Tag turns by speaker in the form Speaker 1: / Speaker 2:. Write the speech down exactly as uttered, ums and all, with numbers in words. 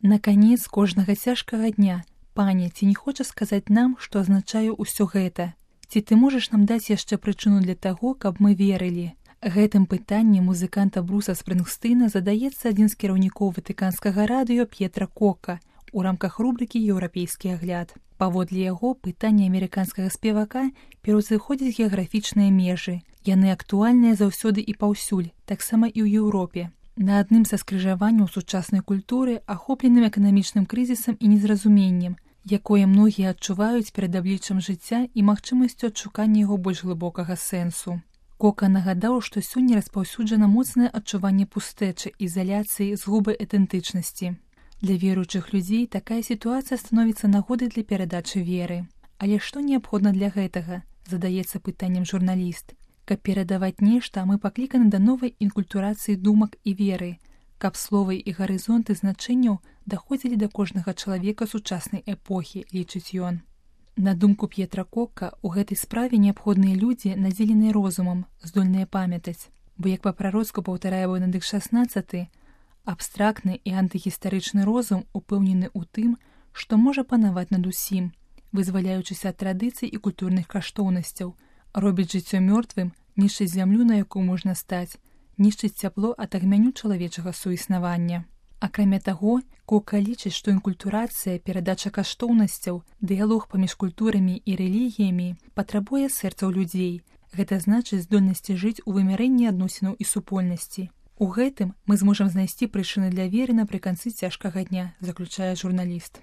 Speaker 1: На канец кожнага цяжкага дня, пане, ці не хоча сказаць нам, што азначае ўсё гэта? Ці ты можаш нам даць яшчэ прычыну для таго, каб мы верылі? Гэтым пытаннем музыканта Бруса Спрынгстэйна задаецца адзін з кіраўнікоў ватыканскага радыё П'етра Кока у рамках рубрыкі «Еўрапейскі агляд». Паводле яго, пытанні амерыканскага спевака пераўзыходзяць геаграфічныя межы. Яны актуальныя заўсёды і паўсюль, таксама і ў Еўропе. На адным са скрыжаванняў сучаснай культуры, ахопленым эканамічным крызісам і незразуменнем, якое многія адчуваюць перад абліччам жыцця і магчымасцю адшукання яго больш глыбокага сэнсу. Кока нагадаў, што сёння распаўсюджана моцнае адчуванне пустэчы, ізаляцыі, згубы ідэнтычнасці. Для веруючых людзей такая сітуацыя становіцца нагодай для перадачы веры. Але што неабходна для гэтага? Задаецца пытаннем журналіст. Каб перадаваць нешта, мы пакліканы да новай інкультурацыі думак і веры, каб словы і гарызонты значэнняў даходзілі да кожнага чалавека сучаснай эпохі, лічыць ён. На думку П'етра Кока, у гэтай справе неабходныя людзі, надзеленыя розумам, здольныя памятаць. Бо, як па-прароцку паўтарае Бенедыкт шаснаццаты, абстрактны і антыгістарычны розум упэўнены ў тым, што можа панаваць над усім, вызваляючыся ад традыцый і культурных каштоўнасцяў, робіць жыццё мёртвым, нішчыць зямлю, на якую можна стаць, нішчыць цяпло ад агню чалавечага суіснавання. Акрамя таго, Кока лічыць, што інкультурацыя, перадача каштоўнасцяў, дыялог паміж культурамі і рэлігіямі патрабуе сэрцаў людзей. Гэта значыць здольнасці жыць у вымярэнні адносінаў і супольнасці. У гэтым мы зможам знайсці прычыны для веры напрыканцы цяжкага дня, заключае журналіст.